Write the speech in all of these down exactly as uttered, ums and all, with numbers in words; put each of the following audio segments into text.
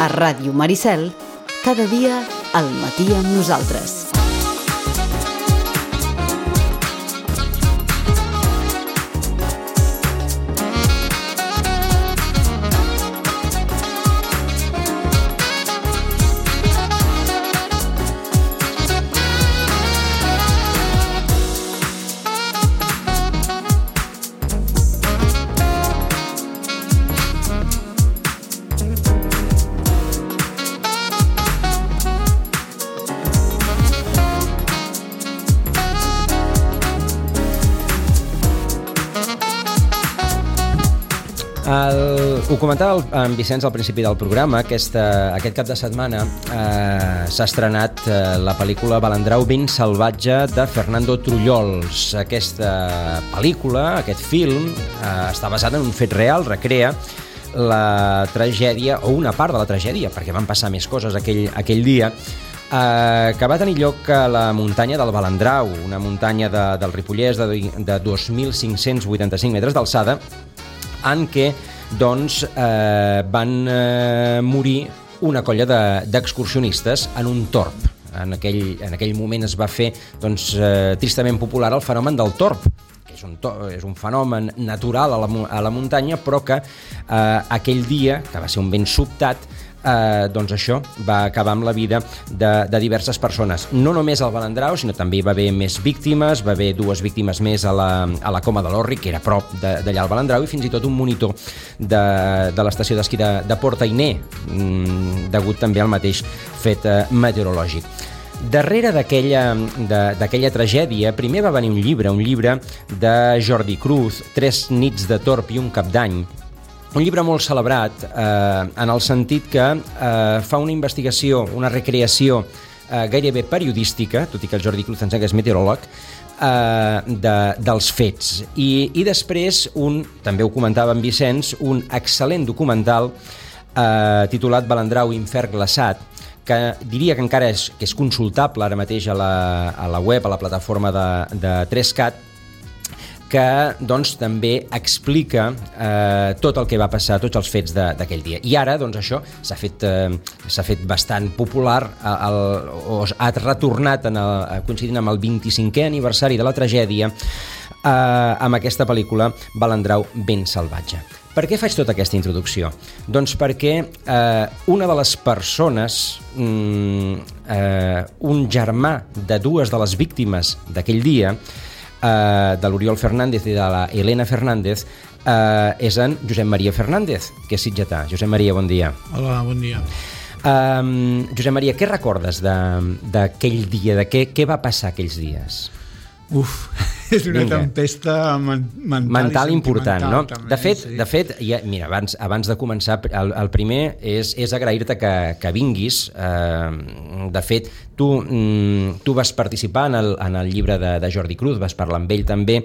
A Ràdio Maricel, cada dia al matí amb nosaltres. El, ho comentava el, en Vicenç al principi del programa. Aquesta, aquest cap de setmana eh, s'ha estrenat eh, la pel·lícula Balandrau ben salvatge de Fernando Trullols. Aquesta pel·lícula, aquest film, eh, està basat en un fet real, recrea la tragèdia, o una part de la tragèdia, perquè van passar més coses aquell, aquell dia, eh, que va tenir lloc a la muntanya del Balandrau, una muntanya de, del Ripollès de, de dos mil cinc-cents vuitanta-cinc metres d'alçada, en què doncs, eh, van eh, morir una colla d'excursionistes de, en un torb. En aquell, en aquell moment es va fer doncs, eh, tristament popular el fenomen del torb, que és un, to, és un fenomen natural a la, a la muntanya, però que eh, aquell dia, que va ser un vent sobtat, Eh, doncs això va acabar amb la vida de, de diverses persones. No només al Balandrau, sinó també hi va haver més víctimes, va haver dues víctimes més a la, a la Coma de l'Orri, que era a prop d'allà al Balandrau, i fins i tot un monitor de, de l'estació d'esquí de, de Port-Ainé, mm, degut també al mateix fet eh, meteorològic. Darrere d'aquella tragèdia, primer va venir un llibre, un llibre de Jordi Cruz, Tres nits de torb i un cap d'any, un llibre molt celebrat eh, en el sentit que eh, fa una investigació, una recreació eh, gairebé periodística, tot i que el Jordi Cruz ens és meteoròleg, eh, de, dels fets. I, I després, un, també ho comentava en Vicenç, un excel·lent documental eh, titulat Balandrau infern glaçat, que diria que encara és, que és consultable ara mateix a la, a la web, a la plataforma de, de tres cat, que doncs, també explica eh, tot el que va passar, tots els fets d'aquell dia. I ara doncs, això s'ha fet, eh, s'ha fet bastant popular, el, o ha retornat en el, coincidint amb el vint-i-cinquè aniversari de la tragèdia, eh, amb aquesta pel·lícula Balandrau ben salvatge. Per què faig tota aquesta introducció? Doncs perquè eh, una de les persones, mm, eh, un germà de dues de les víctimes d'aquell dia, de l'Oriol Fernández i de la Elena Fernández, eh, és en Josep Maria Fernández, que és sitgetà. Josep Maria, bon dia. Hola, bon dia. Um, Josep Maria, què recordes d'aquell dia? De què, què va passar aquells dies? Uf, és una Vinga. tempesta men mental, mental important, no? També, de fet, sí. de fet ja, mira, abans, abans de començar, el, el primer és, és agrair-te que, que vinguis. Eh, de fet, tu, mm, tu vas participar en el, en el llibre de, de Jordi Cruz, vas parlar amb ell també eh,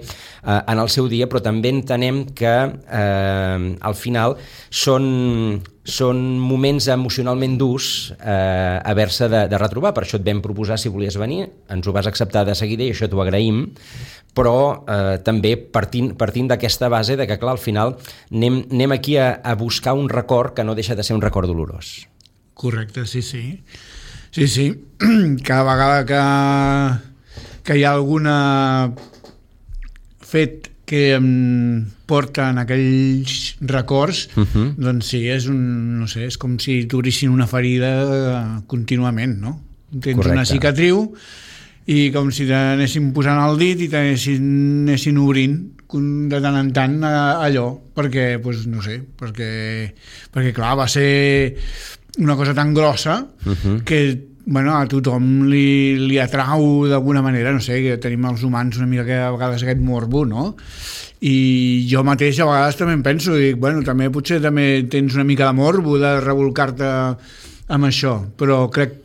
en el seu dia, però també entenem que eh, al final són... són moments emocionalment durs eh, haver-se de, de retrobar. Per això et vam proposar si volies venir, ens ho vas acceptar de seguida i això t'ho agraïm, però eh, també partint, partint d'aquesta base de que, clar, al final anem, anem aquí a, a buscar un record que no deixa de ser un record dolorós. Correcte, sí, sí. Sí, sí. Cada vegada que, que hi ha alguna fet que em porta en aquells records, uh-huh. doncs sí, és un, no sé, és com si t'obrissin una ferida contínuament, no? Tens Correcte. Una cicatriu i com si t'anessin posant el dit i t'anessin obrint de tant en tant allò, perquè, doncs, no sé, perquè, perquè clar, va ser una cosa tan grossa uh-huh. que bueno, a tothom li, li atrau d'alguna manera, no sé, que tenim els humans una mica que a vegades aquest morbo, no? I jo mateix a vegades també em penso, dic, bueno, també potser també tens una mica de morbo de revolcar-te amb això, però crec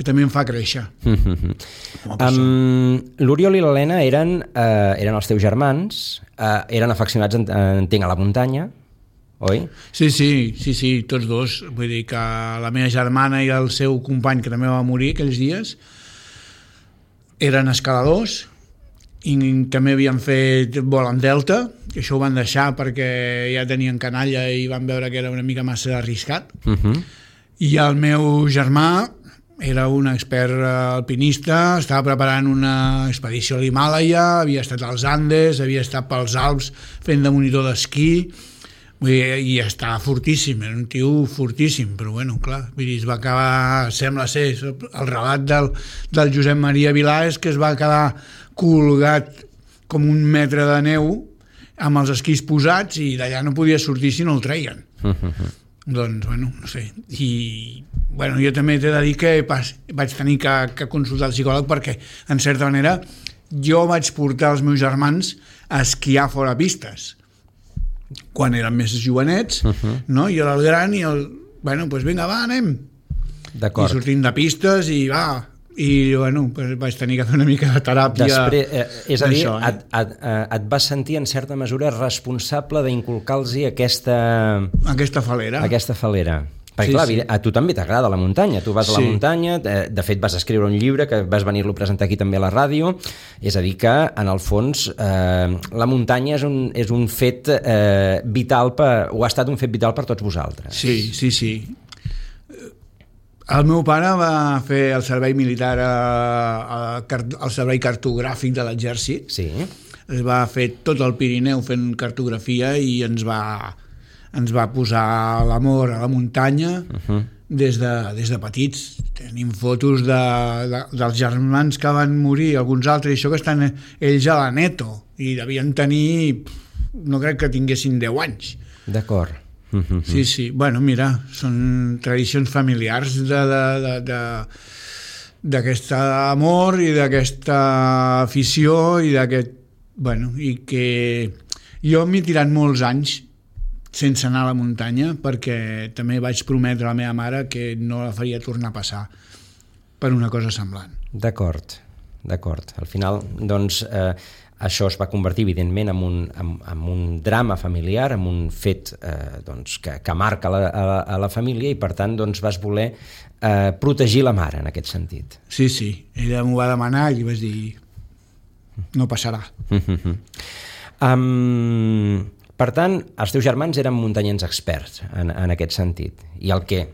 que també em fa créixer. Mm-hmm. um, L'Oriol i l'Helena eren, eh, eren els teus germans, eh, eren afeccionats, entenc, a la muntanya, oi? Sí, sí, sí, sí, tots dos. Vull dir que la meva germana i el seu company, que també va morir aquells dies, eren escaladors i també havien fet vol en delta, que això ho van deixar perquè ja tenien canalla i van veure que era una mica massa arriscat. Uh-huh. I el meu germà era un expert alpinista, estava preparant una expedició a l'Himàlaia, havia estat als Andes, havia estat pels Alps fent de monitor d'esquí, i estava fortíssim, era un tio fortíssim, però bueno, clar, es va acabar, sembla ser, el relat del, del Josep Maria Vilà és que es va quedar colgat com un metre de neu amb els esquís posats i d'allà no podia sortir si no el treien. Doncs, bueno, no sé. I, bueno, jo també t'he de dir que vaig tenir que, que consultar el psicòleg perquè, en certa manera, jo vaig portar els meus germans a esquiar fora pistes quan eren més jovenets, uh-huh. no? Jo era el gran i el... Bueno, doncs vinga, va, anem. D'acord. I sortint de pistes i va... I bueno, pues vaig tenir que fer una mica de teràpia. Després, eh, és a dir, eh? et, et, et vas sentir en certa mesura responsable d'inculcar-los aquesta... Aquesta falera. Aquesta falera. Perquè sí, clar, sí. a tu també t'agrada la muntanya, tu vas sí. a la muntanya, de fet vas escriure un llibre que vas venir-lo a presentar aquí també a la ràdio, és a dir que en el fons eh, la muntanya és un, és un fet eh, vital, per, o ha estat un fet vital per tots vosaltres. Sí, sí, sí. El meu pare va fer el servei militar a, a, al servei cartogràfic de l'exèrcit. Sí. Es va fer tot el Pirineu fent cartografia i ens va, ens va posar l'amor a la muntanya uh-huh. des, de, des de petits. Tenim fotos de, de, dels germans que van morir, alguns altres, i això que estan ells a l'Aneto, i devien tenir, no crec que tinguessin deu anys. D'acord. Uh-huh. Sí, sí, bueno, mira, són tradicions familiars de, de, de, de, d'aquest amor i d'aquesta afició i d'aquest, bueno, i que jo m'he tirat molts anys sense anar a la muntanya perquè també vaig prometre a la meva mare que no la faria tornar a passar per una cosa semblant. D'acord, d'acord. Al final, doncs, eh, això es va convertir, evidentment, en un, en, en un drama familiar, en un fet eh, doncs, que, que marca la, a, a la família i, per tant, doncs, vas voler eh, protegir la mare, en aquest sentit. Sí, sí. Ella m'ho va demanar i vaig dir no passarà. Uh-huh. Um, per tant, els teus germans eren muntanyens experts en, en aquest sentit. I el que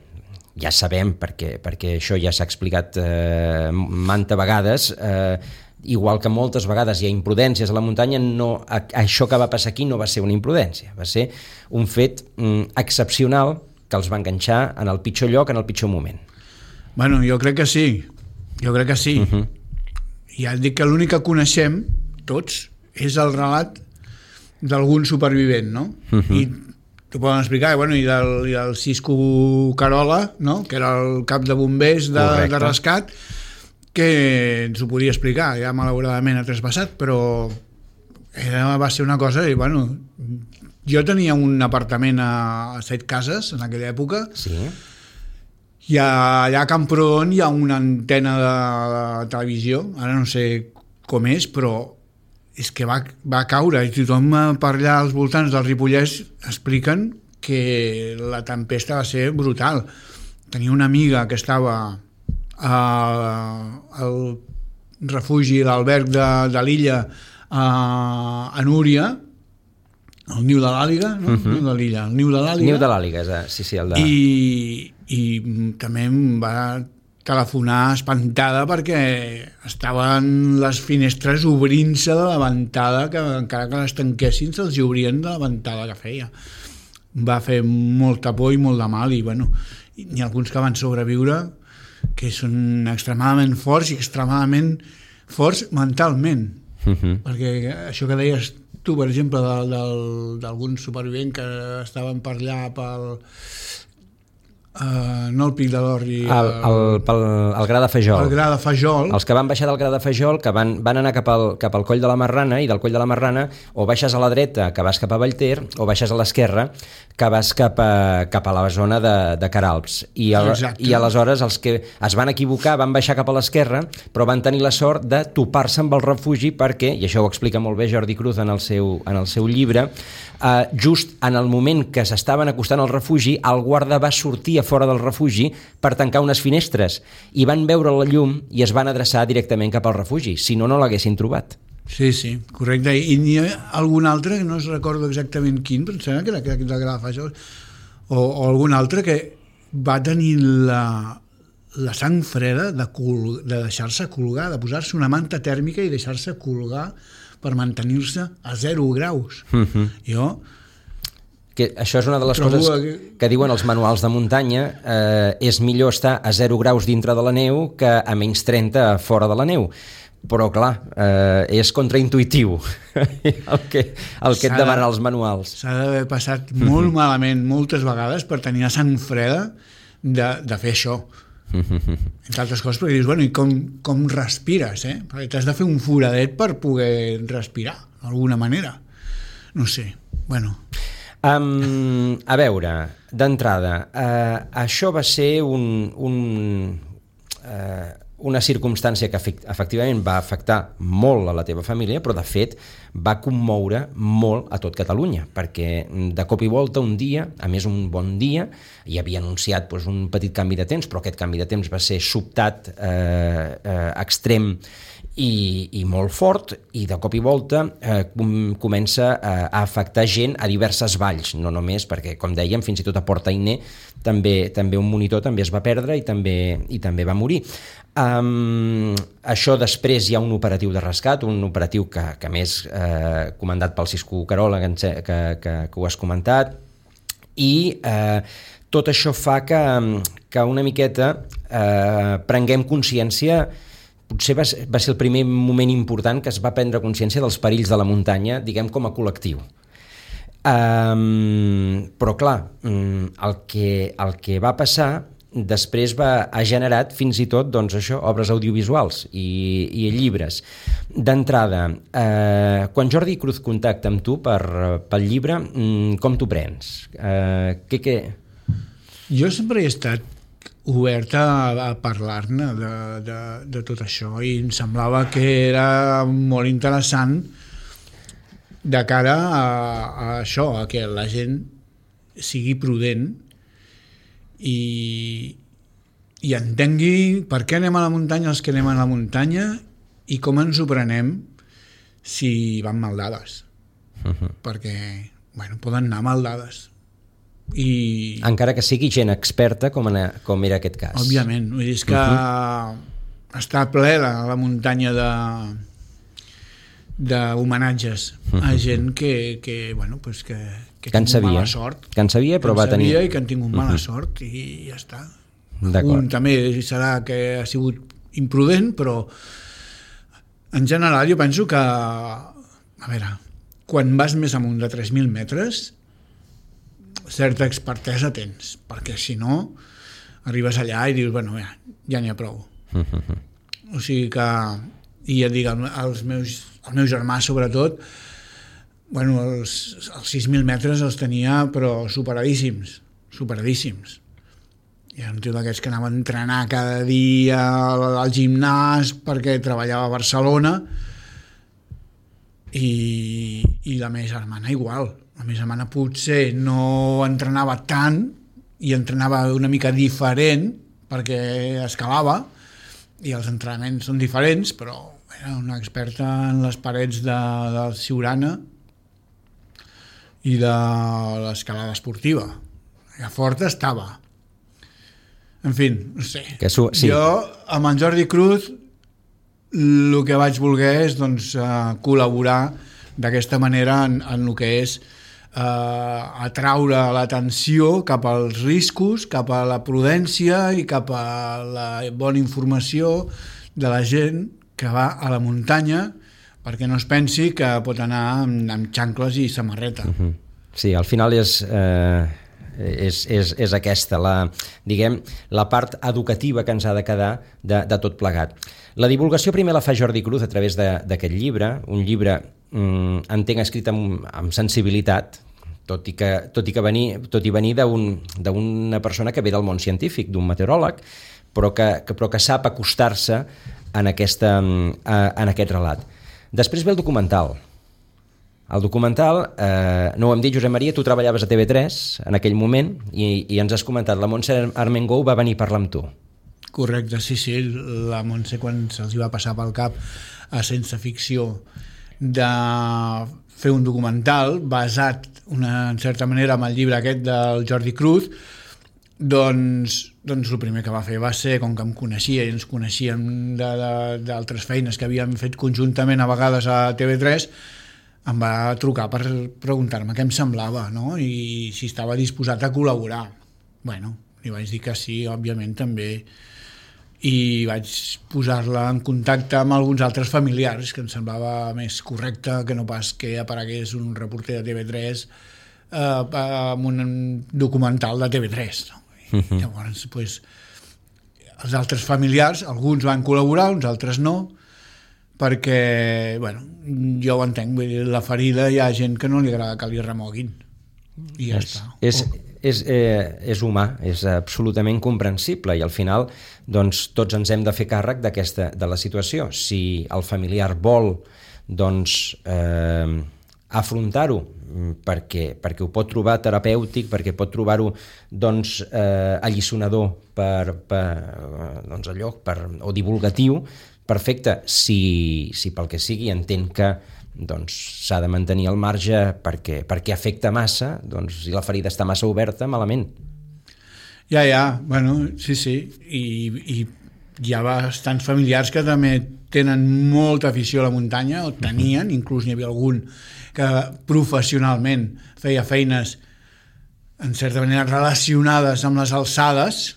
ja sabem, perquè, perquè això ja s'ha explicat eh, manta vegades, eh, igual que moltes vegades hi ha imprudències a la muntanya, no, això que va passar aquí no va ser una imprudència, va ser un fet mm, excepcional que els va enganxar en el pitjor lloc, en el pitjor moment. Bueno, jo crec que sí, jo crec que sí. Uh-huh. Ja et dic que l'únic que coneixem, tots, és el relat d'algun supervivent, no? Uh-huh. I t'ho poden explicar, bueno, i del, i del Cisco Carola, no? Que era el cap de bombers de, de rescat, que ens ho podia explicar, ja malauradament ha traspassat, però era, va ser una cosa, i bueno, jo tenia un apartament a, a Set Cases en aquella època, sí. I allà a Camprodon hi ha una antena de, de televisió, ara no sé com és, però és que va, va caure, i tothom per allà als voltants del Ripollès expliquen que la tempesta va ser brutal. Tenia una amiga que estava al refugi, l'alberg de, de l'illa a, a Núria, el niu de l'Àliga, no? Uh-huh. El niu de l'illa, el niu de l'Àliga. Niu de l'Àliga, sí, sí, el de... I, i també em va telefonar espantada perquè estaven les finestres obrint-se de la ventada, que encara que les tanquessin se'ls obrien de la ventada que feia. Va fer molta por i molt de mal, i bueno, n'hi ha alguns que van sobreviure que són extremadament forts i extremadament forts mentalment. Uh-huh. Perquè això que deies tu, per exemple, d'algun supervivent que estaven per allà pel... Uh, no el Pic de l'Orri, el, el, el, el Gra de Fajol. El Gra de Fajol. Els que van baixar del Gra de Fajol, que van, van anar cap al, cap al Coll de la Marrana, i del Coll de la Marrana o baixes a la dreta, que vas cap a Vallter, o baixes a l'esquerra, que vas cap a, cap a la zona de, de Caralps. I, el, I aleshores els que es van equivocar van baixar cap a l'esquerra, però van tenir la sort de topar-se amb el refugi perquè, i això ho explica molt bé Jordi Cruz en el seu, en el seu llibre, Uh, just en el moment que s'estaven acostant al refugi, el guarda va sortir a fora del refugi per tancar unes finestres i van veure la llum i es van adreçar directament cap al refugi, si no, no l'haguessin trobat. Sí, sí, correcte. I n'hi ha algun altre, que no es recordo exactament quin, però em sembla que era aquest del Gra de Fajol, o, o algun altre que va tenir la, la sang freda de, col, de deixar-se colgar, de posar-se una manta tèrmica i deixar-se colgar per mantenir-se a zero graus. Uh-huh. Jo... Que això és una de les coses que, que diuen els manuals de muntanya, eh, és millor estar a zero graus dintre de la neu que a menys trenta fora de la neu. Però, clar, eh, és contraintuitiu el que, el que et demanen els manuals. S'ha d'haver passat molt malament moltes vegades per tenir la sang freda de, de fer això. Entre altres coses, perquè dius, bueno, i com, com respires, eh? Perquè t'has de fer un foradet per poder respirar, d'alguna manera. No sé, bueno... Um, a veure, d'entrada, uh, això va ser un, un, uh, una circumstància que efectivament va afectar molt a la teva família, però de fet va commoure molt a tot Catalunya, perquè de cop i volta un dia, a més un bon dia, hi havia anunciat doncs, un petit canvi de temps, però aquest canvi de temps va ser sobtat, eh, eh, extrem, I, i molt fort, i de cop i volta eh, com, comença a, a afectar gent a diverses valls, no només perquè, com dèiem, fins i tot a Port Ainé també, també un monitor també es va perdre i també, i també va morir. Um, això després hi ha un operatiu de rescat, un operatiu que, que més eh, comandat pel Cisco Carola, que, que, que, que ho has comentat, i eh, tot això fa que, que una miqueta eh, prenguem consciència. Potser va, va ser el primer moment important que es va prendre consciència dels perills de la muntanya, diguem, com a col·lectiu. Um, però, clar, el que, el que va passar després va, ha generat fins i tot doncs, això, obres audiovisuals i, i llibres. D'entrada, eh, quan Jordi Cruz contacta amb tu per, pel llibre, com t'ho prens? Eh, què, què... Jo sempre he estat oberta a, a parlar-ne de, de, de tot això i em semblava que era molt interessant de cara a, a això, a que la gent sigui prudent i, i entengui per què anem a la muntanya els que anem a la muntanya i com ens ho prenem si van mal dades. Uh-huh. Perquè, bueno, poden anar mal dades. I... encara que sigui gent experta com, en, com era aquest cas. Òbviament, vull dir, és que uh-huh. està ple la, la muntanya de d'homenatges uh-huh. a gent que, que bueno, pues que, que, que han tingut mala sort. Que en sabia, però que va tenir... i que han tingut mala uh-huh. sort i ja està. Un també serà que ha sigut imprudent, però en general jo penso que, a veure, quan vas més amunt de tres mil metres certa expertesa tens, perquè si no arribes allà i dius, bueno, ja, ja n'hi ha prou. Uh-huh. O sigui que, i ja et dic, els meus, el meu germà sobretot, bueno, els, els sis mil metres els tenia però superadíssims, superadíssims. Hi ha un tio d'aquests que anava a entrenar cada dia al, al gimnàs perquè treballava a Barcelona i, i la meva germana igual. La meva germana potser no entrenava tant i entrenava una mica diferent perquè escalava i els entrenaments són diferents, però era una experta en les parets de, del Siurana i de l'escalada esportiva. Ja forta estava. En fi, no sé. Que su- sí. Jo, amb en Jordi Cruz, el que vaig voler és doncs, col·laborar d'aquesta manera en, en el que és Uh, atraure l'atenció cap als riscos, cap a la prudència i cap a la bona informació de la gent que va a la muntanya perquè no es pensi que pot anar amb, amb xancles i samarreta. Uh-huh. Sí, al final és, eh, és, és, és aquesta, la, diguem, la part educativa que ens ha de quedar de, de tot plegat. La divulgació primer la fa Jordi Cruz a través d'aquest llibre, un llibre, mm, entenc, escrit amb, amb sensibilitat, tot i que, tot i que venir, tot i venir d'un, d'una persona que ve del món científic, d'un meteoròleg, però que, que, però que sap acostar-se en, aquesta, en aquest relat. Després ve el documental. El documental, eh, no ho hem dit, Josep Maria, tu treballaves a T V tres en aquell moment i, i ens has comentat, la Montse Armengou va venir a parlar amb tu. Correcte, sí, sí, la Montse quan se'ls va passar pel cap a Sense Ficció de fer un documental basat una, en certa manera amb el llibre aquest del Jordi Cruz, doncs, doncs el primer que va fer va ser, com que em coneixia i ens coneixíem d'altres feines que havíem fet conjuntament a vegades a T V tres, em va trucar per preguntar-me què em semblava, no? I si estava disposat a col·laborar. Bueno, li vaig dir que sí, òbviament també, i vaig posar-la en contacte amb alguns altres familiars, que em semblava més correcte que no pas que aparegués un reporter de T V tres eh, amb un documental de T V tres. No? Uh-huh. Llavors, pues, els altres familiars, alguns van col·laborar, uns altres no, perquè, bueno, jo ho entenc, vull dir, la ferida hi ha gent que no li agrada que li remoguin, i ja és, està. És, és, eh, és humà, és absolutament comprensible, i al final doncs, tots ens hem de fer càrrec d'aquesta, de la situació. Si el familiar vol doncs, eh, afrontar-ho perquè, perquè ho pot trobar terapèutic, perquè pot trobar-ho doncs, eh, alliçonador per, per, doncs, allò, per, o divulgatiu, perfecte. Si, si pel que sigui entén que doncs s'ha de mantenir al marge perquè, perquè afecta massa, doncs si la ferida està massa oberta, malament. Ja, ja, bueno, sí, sí, i, i hi ha bastants familiars que també tenen molta afició a la muntanya, o tenien, inclús n'hi havia algun que professionalment feia feines en certa manera relacionades amb les alçades,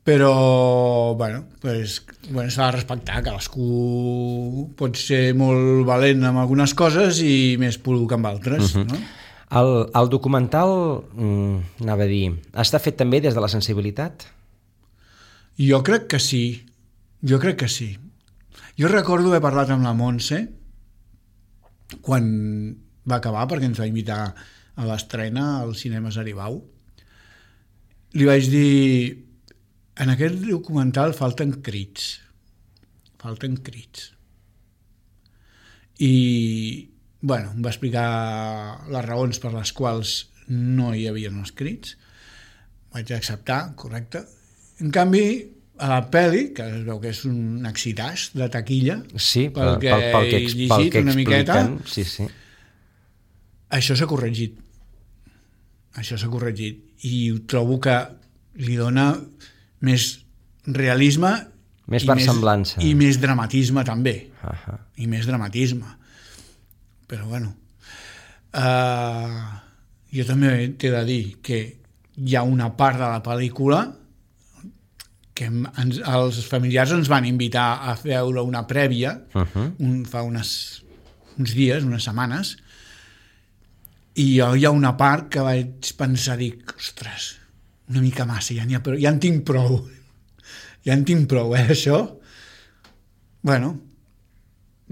però bueno, pues, bueno, s'ha de respectar, cadascú pot ser molt valent amb algunes coses i més poruc amb altres. Uh-huh. No? El, el documental, mm, anava a dir, està fet també des de la sensibilitat? Jo crec que sí, jo crec que sí. Jo recordo haver parlat amb la Montse quan va acabar, perquè ens va invitar a l'estrena als cinemes Aribau. Li vaig dir: en aquest documental falten crits, falten crits. I, bueno, em va explicar les raons per les quals no hi havia els crits. Vaig acceptar, correcte. En canvi, a la pel·li, que es veu que és un exitàs de taquilla, sí, pel, pel, pel, pel que, he llegit pel que una miqueta, sí, sí. Això s'ha corregit. Això s'ha corregit. I trobo que li dona més realisme més i versemblança més, i més dramatisme també. Uh-huh. I més dramatisme. Però bueno, uh, jo també t'he de dir que hi ha una part de la pel·lícula que ens, els familiars ens van invitar a veure una prèvia, uh-huh. un, fa unes, uns dies, unes setmanes, i jo hi ha una part que vaig pensar, dic, ostres, una mica massa, ja, ha, ja en tinc prou. Ja en tinc prou, eh, això? Bueno,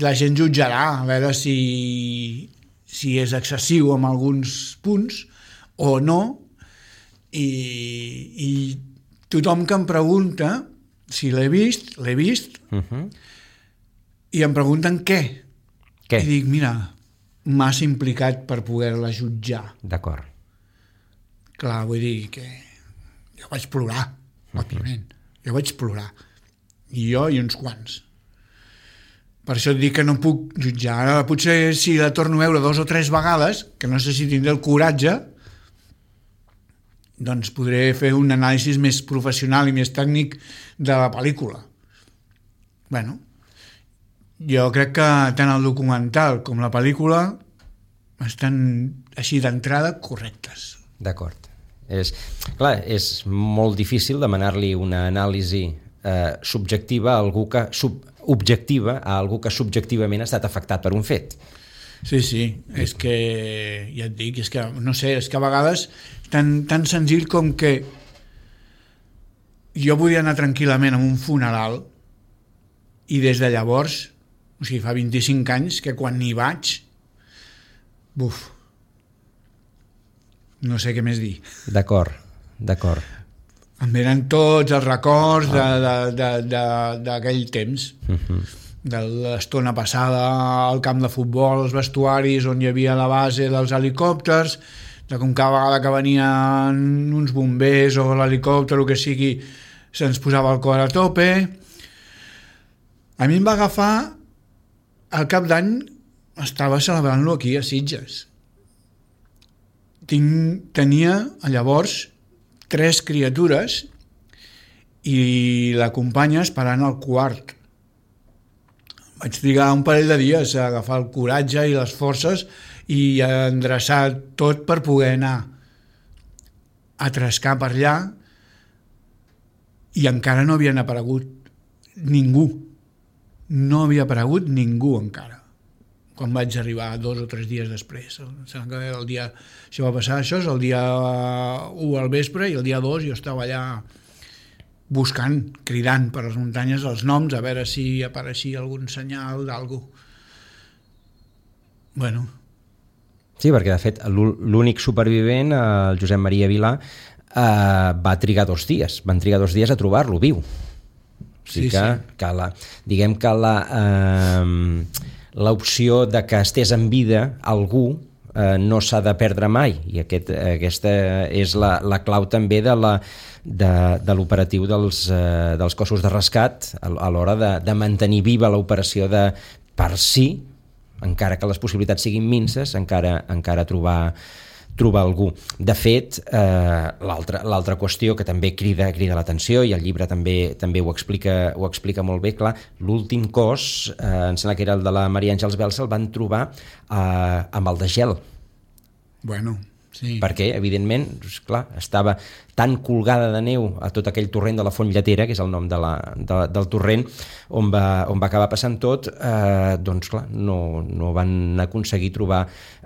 la gent jutjarà, a veure si, si és excessiu en alguns punts o no, i, i tothom que em pregunta si l'he vist, l'he vist, uh-huh. i em pregunten què. Què? I dic, mira, massa implicat per poder-la jutjar. D'acord. Clar, vull dir que jo vaig plorar, òbviament. Jo vaig plorar. I jo i uns quants. Per això et dic que no puc jutjar. Ara potser si la torno a veure dos o tres vegades, que no sé si tindré el coratge, doncs podré fer un anàlisi més professional i més tècnic de la pel·lícula. Bueno, jo crec que tant el documental com la pel·lícula estan així d'entrada correctes. D'acord. És, clar, és molt difícil demanar-li una anàlisi eh, subjectiva a algú que sub, objectiva a algú que subjectivament ha estat afectat per un fet. Sí, sí, és que ja et dic, és que no sé, és que a vegades tan, tan senzill com que jo podia anar tranquil·lament a un funeral i des de llavors, o sigui, fa vint-i-cinc anys que quan hi vaig, buf, no sé què més dir. D'acord, d'acord. Em venen tots els records d'aquell temps, uh-huh. de l'estona passada al camp de futbol, els vestuaris on hi havia la base dels helicòpters, de com cada vegada que venien uns bombers o l'helicòpter o que sigui, se'ns posava el cor a tope. A mi em va agafar al cap d'any, estava celebrant-lo aquí a Sitges. Tinc, tenia llavors tres criatures i l'acompanya esperant el quart. Vaig trigar un parell de dies a agafar el coratge i les forces i a endreçar tot per poder anar a trescar per allà, i encara no havien aparegut ningú. No havia aparegut ningú encara, quan vaig arribar dos o tres dies després. El dia, això va passar, això és el dia u al vespre, i el dia dos jo estava allà buscant, cridant per les muntanyes els noms, a veure si apareixia algun senyal d'algú. Bueno. Sí, perquè de fet l'únic supervivent, el Josep Maria Vilà, Uh, va trigar dos dies, van trigar dos dies a trobar-lo viu. O sigui sí, que, sí. que la, diguem que la uh, l'opció de que estés en vida algú uh, no s'ha de perdre mai, i aquest, aquesta és la, la clau també de la de, de l'operatiu dels, uh, dels cossos de rescat a, a l'hora de, de mantenir viva l'operació de, per si, encara que les possibilitats siguin minces, encara, encara trobar trobar algú. De fet, eh, l'altra l'altra qüestió que també crida crida l'atenció, i el llibre també també ho explica ho explica molt bé, clar, l'últim cos, eh, em sembla que era el de la Maria Àngels Belsa, el van trobar eh, amb el de gel. Bueno, sí. Perquè, evidentment, clar, estava tan colgada de neu a tot aquell torrent de la Font Lletera, que és el nom de la, de, del torrent, on va, on va acabar passant tot, eh, doncs clar, no, no van aconseguir trobar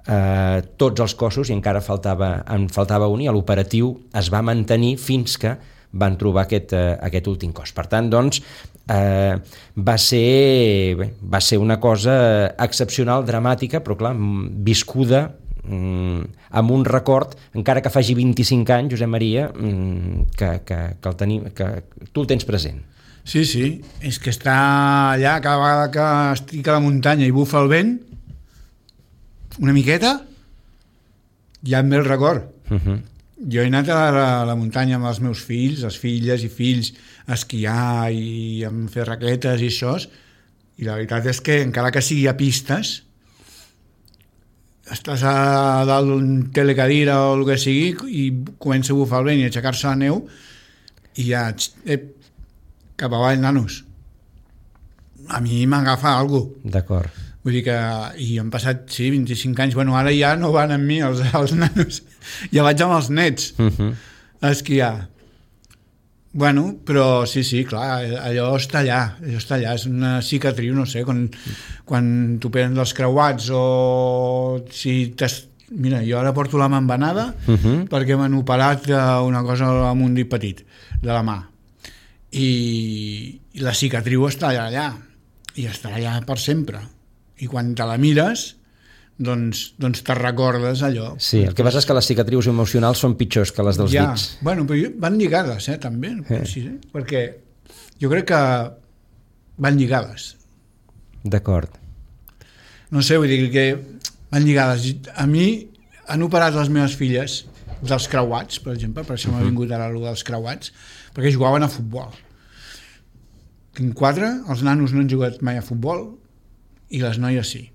eh, tots els cossos, i encara faltava, en faltava un, i l'operatiu es va mantenir fins que van trobar aquest, eh, aquest últim cos. Per tant, doncs, eh, va ser, bé, va ser una cosa excepcional, dramàtica, però clar, viscuda amb un record, encara que faci vint-i-cinc anys, Josep Maria, que, que, que, el tenim, que tu el tens present. Sí, sí, és que està allà, cada vegada que estic a la muntanya i bufa el vent, una miqueta, ja em ve el record. Uh-huh. Jo he anat a la, a la muntanya amb els meus fills, les filles i fills, a esquiar i a fer raquetes i això, i la veritat és que encara que sigui a pistes, estàs a dalt d'un telecadira o el que sigui i comença a bufar el vent i a aixecar-se la neu i ja eh, cap avall, nanos. A mi m'agafa alguna cosa. D'acord. Vull dir que i han passat, sí, vint-i-cinc anys. Bueno, ara ja no van amb mi els, els nanos. Ja vaig amb els nets uh-huh. a esquiar. Bueno, però sí, sí, clar, allò està allà, allò està allà, és una cicatriu, no sé, quan, quan t'operen dels creuats o si t'has... Mira, jo ara porto la mà embenada uh-huh. perquè m'han operat una cosa amb un dit petit de la mà. I, i la cicatriu està allà, allà, i estarà allà per sempre. I quan te la mires, doncs, doncs te recordes allò. Sí, el que passa és que les cicatrius emocionals són pitjors que les dels ja, dits. Bueno, però van lligades, eh, també, eh. Sí, eh? Perquè jo crec que van lligades. D'acord. No sé, vull dir que van lligades. A mi han operat les meves filles dels creuats, per exemple, per això m'ha vingut ara allò dels creuats, perquè jugaven a futbol. Tinc quatre, els nanos no han jugat mai a futbol i les noies sí.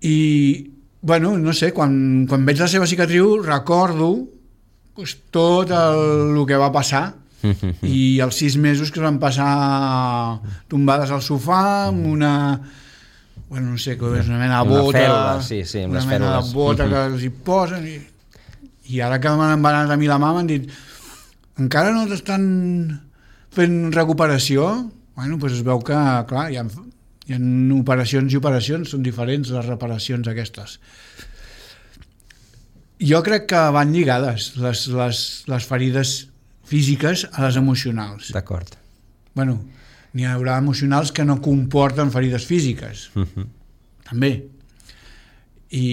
I, bueno, no sé, quan, quan veig la seva cicatriu recordo pues, tot el, el que va passar i els sis mesos que es van passar tombades al sofà amb una, bueno, no sé, és una mena de bota, una fèlula, sí, sí, amb una les mena fèlules. de bota que els hi posen i, i ara que m'han embanat a mi la mà m'han dit encara no t'estan fent recuperació? Bueno, doncs es veu que, clar, hi ha Hi ha operacions i operacions, són diferents les reparacions aquestes. Jo crec que van lligades les, les, les ferides físiques a les emocionals. D'acord. Bueno, n'hi haurà emocionals que no comporten ferides físiques. Uh-huh. També. I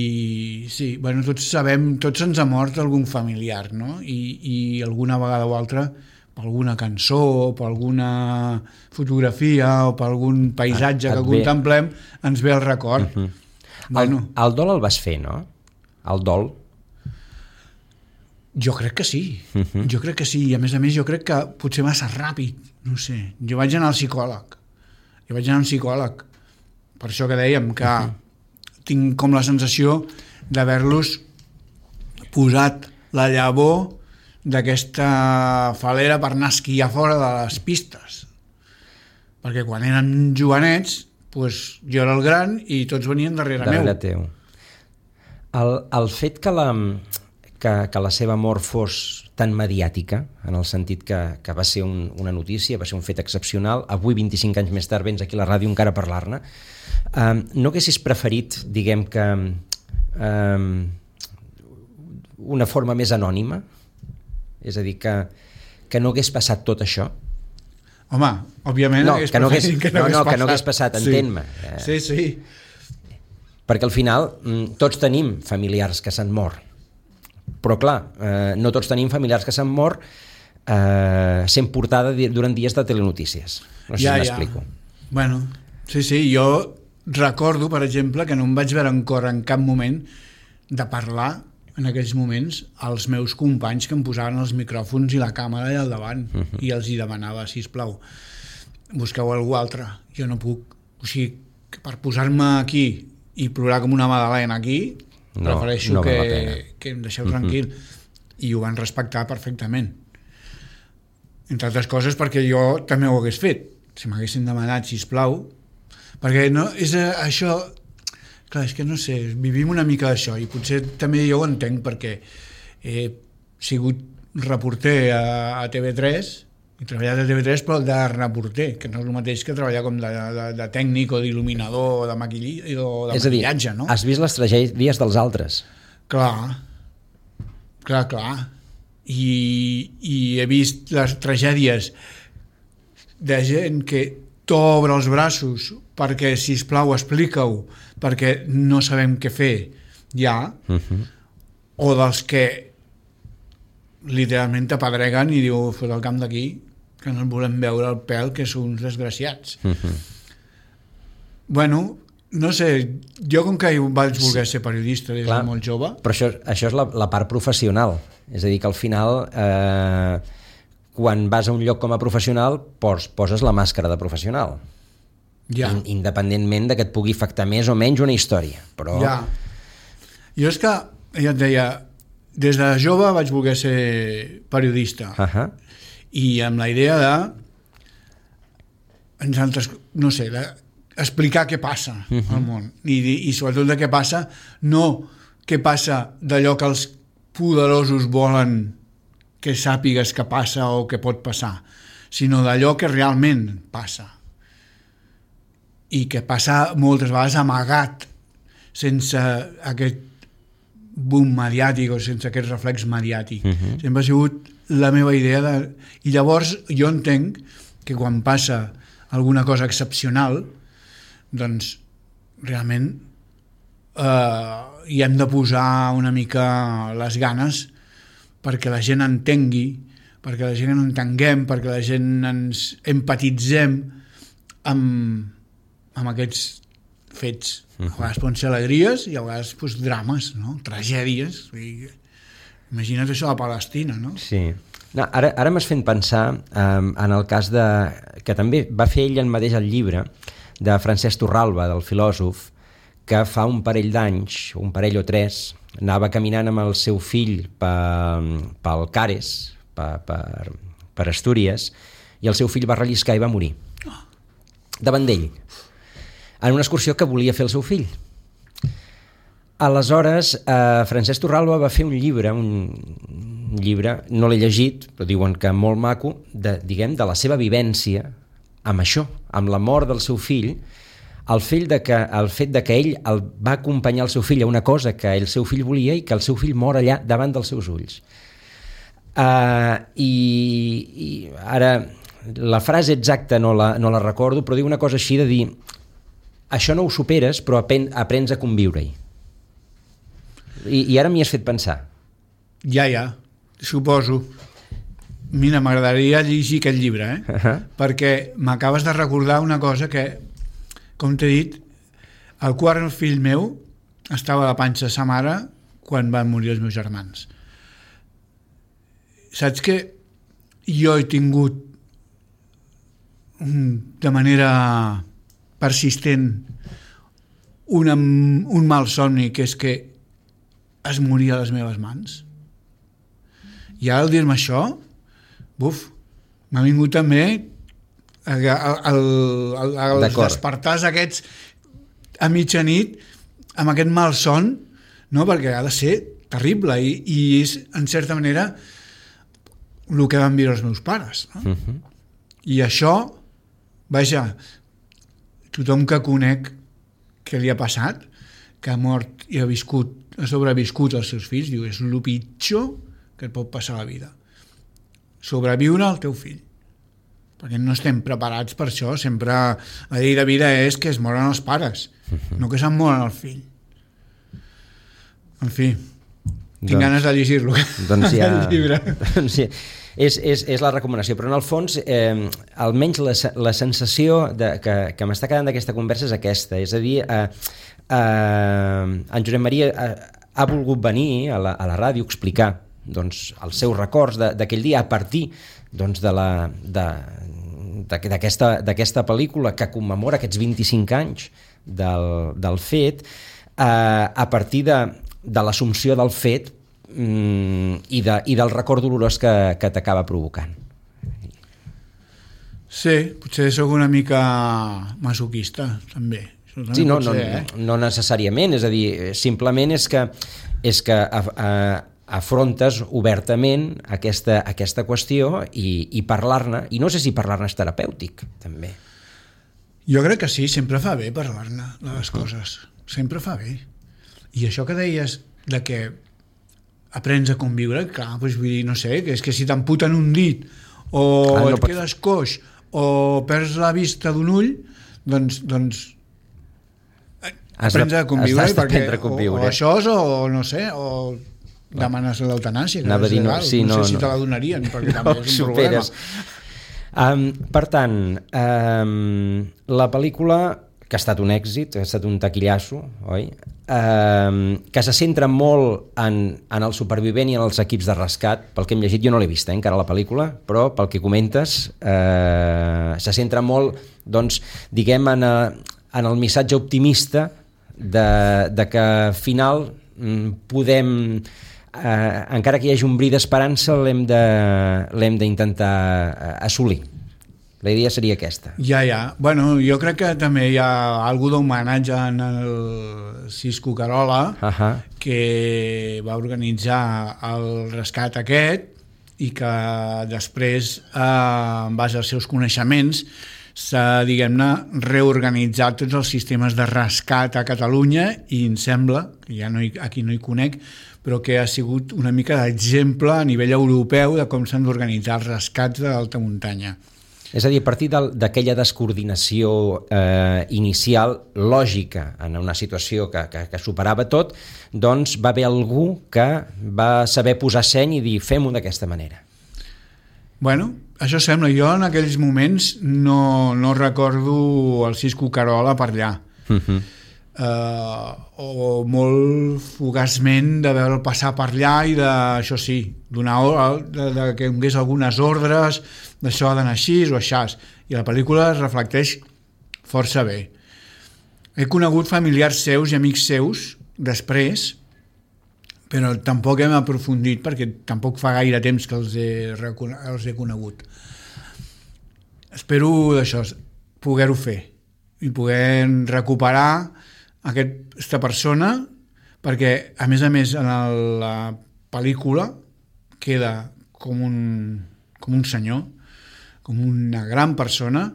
sí, bueno, tots sabem, tots ens ha mort algun familiar, no? I, i alguna vegada o altra per alguna cançó, o per alguna fotografia, o per algun paisatge que contemplem, ens ve el record. Uh-huh. Bueno, el, el dol el vas fer, no? El dol? Jo crec que sí. Uh-huh. Jo crec que sí. I a més a més jo crec que potser massa ràpid. No sé. Jo vaig anar al psicòleg. Jo vaig anar al psicòleg. Per això que dèiem que uh-huh. tinc com la sensació d'haver-los posat la llavor d'aquesta falera per anar a esquiar fora de les pistes. Perquè quan eren jovenets, doncs jo era el gran i tots venien darrere, darrere meu. Teu. El, el fet que la, que, que la seva mort fos tan mediàtica, en el sentit que, que va ser un, una notícia, va ser un fet excepcional, avui, vint-i-cinc anys més tard, vens aquí a la ràdio encara a parlar-ne, eh, no haguessis preferit, diguem que, eh, una forma més anònima? És a dir, que, que no hagués passat tot això? Home, òbviament no, hagués que no hagués, que no, no, no, hagués que no hagués passat, entén-me. Sí, sí. Perquè al final tots tenim familiars que s'han mort, però clar, eh, no tots tenim familiars que s'han mort eh, sent portada durant dies de telenotícies. No sé ja, si m'explico. Ja. Bueno, sí, sí, jo recordo, per exemple, que no em vaig veure en cor en cap moment de parlar en aquells moments als meus companys que em posaven els micròfons i la càmera allà al davant uh -huh. i els hi demanava, sisplau, busqueu algú altre, jo no puc. O sigui, per posar-me aquí i plorar com una magdalena aquí, no, prefereixo no que, que em deixeu tranquil. Uh-huh. I ho van respectar perfectament. Entre altres coses perquè jo també ho hagués fet. Si m'haguessin demanat, sisplau, perquè no, és això... Clar, és que no sé, vivim una mica d'això i potser també jo ho entenc perquè he sigut reporter a, a T V tres, he treballat a T V tres però de reporter, que no és el mateix que treballar com de, de, de tècnic o d'il·luminador o de, maquilli, o de és maquillatge, a dir, no? Has vist les tragèdies dels altres? Clar, clar, clar. I, i he vist les tragèdies de gent que t'obre els braços perquè, sisplau, explica-ho, perquè no sabem què fer ja, uh-huh. o dels que literalment t'apedreguen i diu, fot el camp d'aquí, que no ens volem veure el pèl, que són uns desgraciats. Uh-huh. Bueno, no sé, jo com que vaig voler ser periodista des de molt jove... Però això, això és la, la part professional, és a dir, que al final... Eh, quan vas a un lloc com a professional pos, poses la màscara de professional. Ja. In, independentment de que et pugui afectar més o menys una història. Però... Ja. Jo és que, ja et deia, des de jove vaig voler ser periodista. Uh-huh. I amb la idea de no sé, de explicar què passa uh-huh. al món. I, I sobretot de què passa, no què passa d'allò que els poderosos volen que sàpigues que passa o que pot passar, sinó d'allò que realment passa. I que passa moltes vegades amagat, sense aquest boom mediàtic o sense aquest reflex mediàtic. Uh-huh. Sempre ha sigut la meva idea de... I llavors jo entenc que quan passa alguna cosa excepcional, doncs realment eh, hi hem de posar una mica les ganes perquè la gent entengui, perquè la gent entenguem, perquè la gent ens empatitzem amb, amb aquests fets. A vegades poden ser alegries i a vegades pues, drames, no? Tragèdies. Imagina't això a Palestina, no? Sí. No, ara ara m'has fet pensar um, en el cas de... que també va fer ell en mateix el llibre de Francesc Torralba, del filòsof, que fa un parell d'anys, un parell o tres, anava caminant amb el seu fill pel Cares, per, per, per Astúries, i el seu fill va relliscar i va morir. Davant d'ell. En una excursió que volia fer el seu fill. Aleshores, eh, Francesc Torralba va fer un llibre, un llibre, no l'he llegit, però diuen que molt maco, de, diguem, de la seva vivència amb això, amb la mort del seu fill, el fet de que, el fet de que ell el va acompanyar el seu fill a una cosa que el seu fill volia i que el seu fill mor allà davant dels seus ulls. Uh, i, i ara la frase exacta no la, no la recordo, però diu una cosa així de dir això no ho superes però apen, aprens a conviure-hi. I, i ara m'hi has fet pensar. Ja, ja, suposo. Mira, m'agradaria llegir aquest llibre, eh? Uh-huh. Perquè m'acabes de recordar una cosa que, com t'he dit, el quart fill meu estava a la panxa de sa mare quan van morir els meus germans. Saps que jo he tingut de manera persistent una, un mal somni, que és que es moria a les meves mans. I ara al dir-me això, buf, m'ha vingut també el, el, el, els despertars aquests a mitjanit amb aquest malson, no? Perquè ha de ser terrible i, i és, en certa manera, el que van viure els meus pares. No? Uh-huh. I això, vaja, tothom que conec que li ha passat, que ha mort i ha viscut, ha sobreviscut els seus fills, diu, és el pitjor que et pot passar a la vida. Sobreviure al teu fill. Perquè no estem preparats per això. Sempre la llei de vida és que es moren els pares, uh-huh. no que se'n moren el fill. En fi, tinc doncs, ganes de llegir-lo. Doncs ja... el llibre. Doncs ja. És, és, és la recomanació, però en el fons eh, almenys la, la sensació de, que, que m'està quedant d'aquesta conversa és aquesta, és a dir eh, eh, en Josep Maria ha, ha volgut venir a la, a la ràdio a explicar doncs, els seus records d'aquell dia a partir doncs, de la, de, d'aquesta, d'aquesta pel·lícula que commemora aquests vint-i-cinc anys del, del fet, eh, a partir de, de l'assumpció del fet I, de, i del record dolorós que, que t'acaba provocant. Sí, potser sóc una mica masoquista, també. Sí, no, no, ser, eh? no necessàriament, és a dir, simplement és que, és que a, a, afrontes obertament aquesta, aquesta qüestió i, i parlar-ne, i no sé si parlar-ne és terapèutic, també. Jo crec que sí, sempre fa bé parlar-ne de les uh-huh. coses, sempre fa bé. I això que deies de que aprens a conviure, clar, doncs vull dir, no sé, que és que si t'amputen un dit o ah, no et pots... quedes coix o perds la vista d'un ull, doncs, doncs aprens a conviure, perquè, a conviure. O, o això és, o no sé, o demanes l'eutanàsia, que és legal, no, sí, no, no sé si no. te la donarien, perquè no, també és un superes. problema. Um, per tant, um, la pel·lícula, que ha estat un èxit, ha estat un taquillasso, oi? Uh, que se centra molt en, en el supervivent i en els equips de rescat. Pel que hem llegit, jo no l'he vist eh, encara la pel·lícula, però pel que comentes uh, se centra molt, doncs, diguem, en, a, en el missatge optimista de, de que al final podem, uh, encara que hi hagi un bri d'esperança, l'hem de, l'hem d'intentar assolir. La idea seria aquesta. Ja, ja. Bueno, jo crec que també hi ha algú d'homenatge en el Cisco Carola, uh-huh. que va organitzar el rescat aquest i que després, eh, en base als seus coneixements, s'ha, diguem-ne, reorganitzat tots els sistemes de rescat a Catalunya i em sembla, que ja no hi, aquí no hi conec, però que ha sigut una mica d'exemple a nivell europeu de com s'han d'organitzar els rescats de l'alta muntanya. És a dir, a partir d'aquella descoordinació eh, inicial, lògica, en una situació que, que, que superava tot, doncs va haver algú que va saber posar seny i dir fem-ho d'aquesta manera. Bueno, això sembla. Jo en aquells moments no, no recordo el Cisco Carola per allà. Uh-huh. Uh, o molt fugaçment de veure'l passar per allà i de, això sí, donar, de, de que donés algunes ordres d'això ha d'anar així o així, i la pel·lícula es reflecteix força bé. He conegut familiars seus i amics seus després, però tampoc hem aprofundit perquè tampoc fa gaire temps que els he, els he conegut. Espero d'això, poder-ho fer i poder recuperar aquesta persona, perquè a més a més en la pel·lícula queda com un, com un senyor, com una gran persona,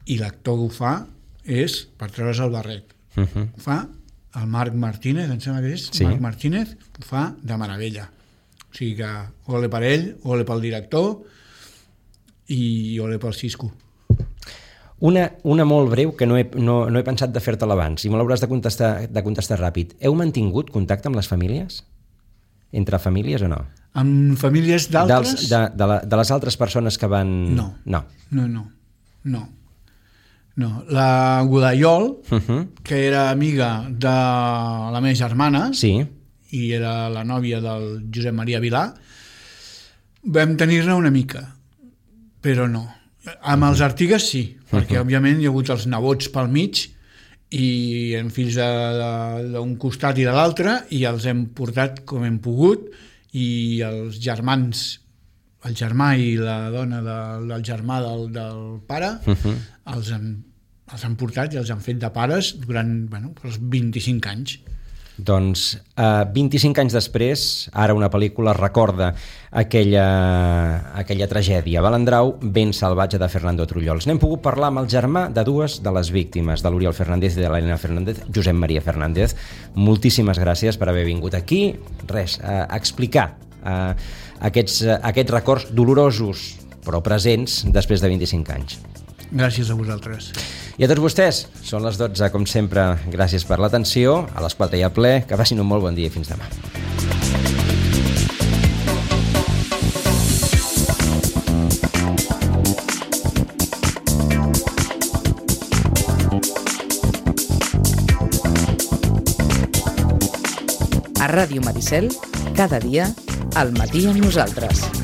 i l'actor que ho fa és per treure's el barret. Uh-huh. Ho fa el Marc Martínez, em sembla que és, sí. Marc Martínez, ho fa de meravella. O sigui que ole per ell, ole pel director i ole pel Cisco. Una, una molt breu que no he, no, no he pensat de fer-te-la abans i me l'hauràs de contestar, de contestar ràpid. Heu mantingut contacte amb les famílies? Entre famílies o no? Amb famílies d'altres? Dels, de, de, la, de les altres persones que van... No, no, no, no. no. no. La Godallol, uh-huh. que era amiga de la meva germana, sí. i era la nòvia del Josep Maria Vilà, vam tenir-ne una mica, però no. Amb els Artigues sí, perquè uh-huh. òbviament hi ha hagut els nebots pel mig i hem fills d'un costat i de l'altre i els hem portat com hem pogut i els germans, el germà i la dona del, del germà del, del pare, uh-huh. els, han, els han portat i els han fet de pares durant bueno, els vint-i-cinc anys. Doncs eh, vint-i-cinc anys després, ara una pel·lícula recorda aquella, aquella tragèdia. Balandrau, ben salvatge, de Fernando Trullols. N'hem pogut parlar amb el germà de dues de les víctimes, de l'Oriol Fernández i de l'Helena Fernández, Josep Maria Fernández. Moltíssimes gràcies per haver vingut aquí. Res, a explicar eh, aquests, eh, aquests records dolorosos, però presents, després de vint-i-cinc anys. Gràcies a vosaltres. I a tots vostès, són les dotze, com sempre, gràcies per l'atenció, a les quatre i a ple, que passin un molt bon dia i fins demà. A Ràdio Maricel, cada dia, al matí amb nosaltres.